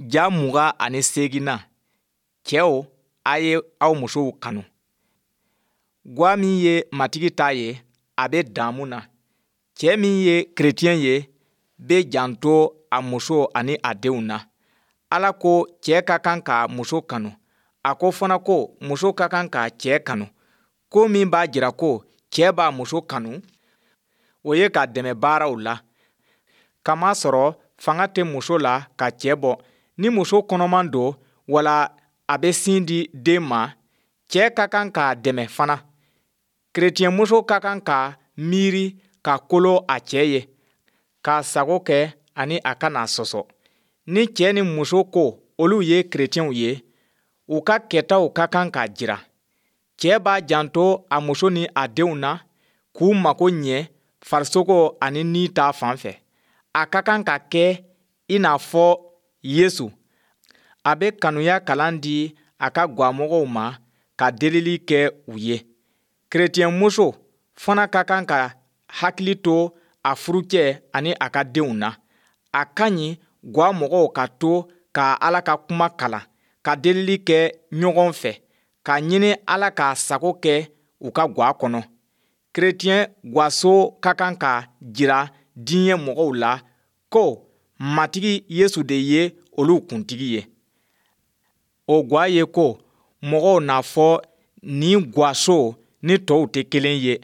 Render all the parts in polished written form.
Ja 28nan, Cɛw, a ye aw musow kanu. Gwa min ye Matigi ta ye, a bɛ damu na. Cɛ min ye kerecɛn ye, bɛ janto a muso ani a denw na. Ala ko cɛ ka kan k'a muso kanu. A ko fana ko muso ka kan k'a cɛ kanu. Ko min b'a jira ko cɛ b'a muso kanu, o ye k'a dɛmɛ baaraw la. Kamasɔrɔ fanga tɛ muso la ka cɛ bɔ. Ni muso kɔnɔman don wala a bɛ sin di den ma, cɛ ka kan k'a dɛmɛ fana. Kerecɛnmuso ka kan ka miiri ka kolo a cɛ ye, k'a sago kɛ ani a kan'a sɔsɔ. Ni cɛ ni muso ko olu ye kerecɛnw ye, u ka kɛtaw ka kan k'a jira. Cɛ b'a janto a muso ni a denw na, k'u mago ɲɛ farisogo ani ni ta fan fɛ. A ka kan ka kɛ i n'a fɔ Yesu. A bɛ kanuya kalan di a ka gwamɔgɔw ma ka delili kɛ u ye. Kerecɛnmuso fana ka kan ka hakili to a furucɛ ani a ka denw na. A ka ɲi gwa mɔgɔw ka to ka Ala ka kuma kalan, ka delili kɛ ɲɔgɔn fɛ, k'a ɲini Ala k'a sago kɛ u ka gwa kɔnɔ. Kerecɛn gwaso ka kan ka jira diɲɛ mɔgɔw la ko Matigi Yesu de ye olu kuntigi ye. O gwa ye ko mɔgɔw n'a fɔ nin gwaso ni tɔw tɛ kelen ye.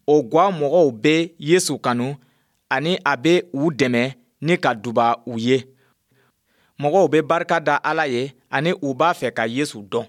O gwa mɔgɔw bɛ Yesu kanu ani a bɛ u dɛmɛ ni ka duba u ye. Mɔgɔw bɛ barika da Ala ye ani u b'a fɛ ka Yesu dɔn.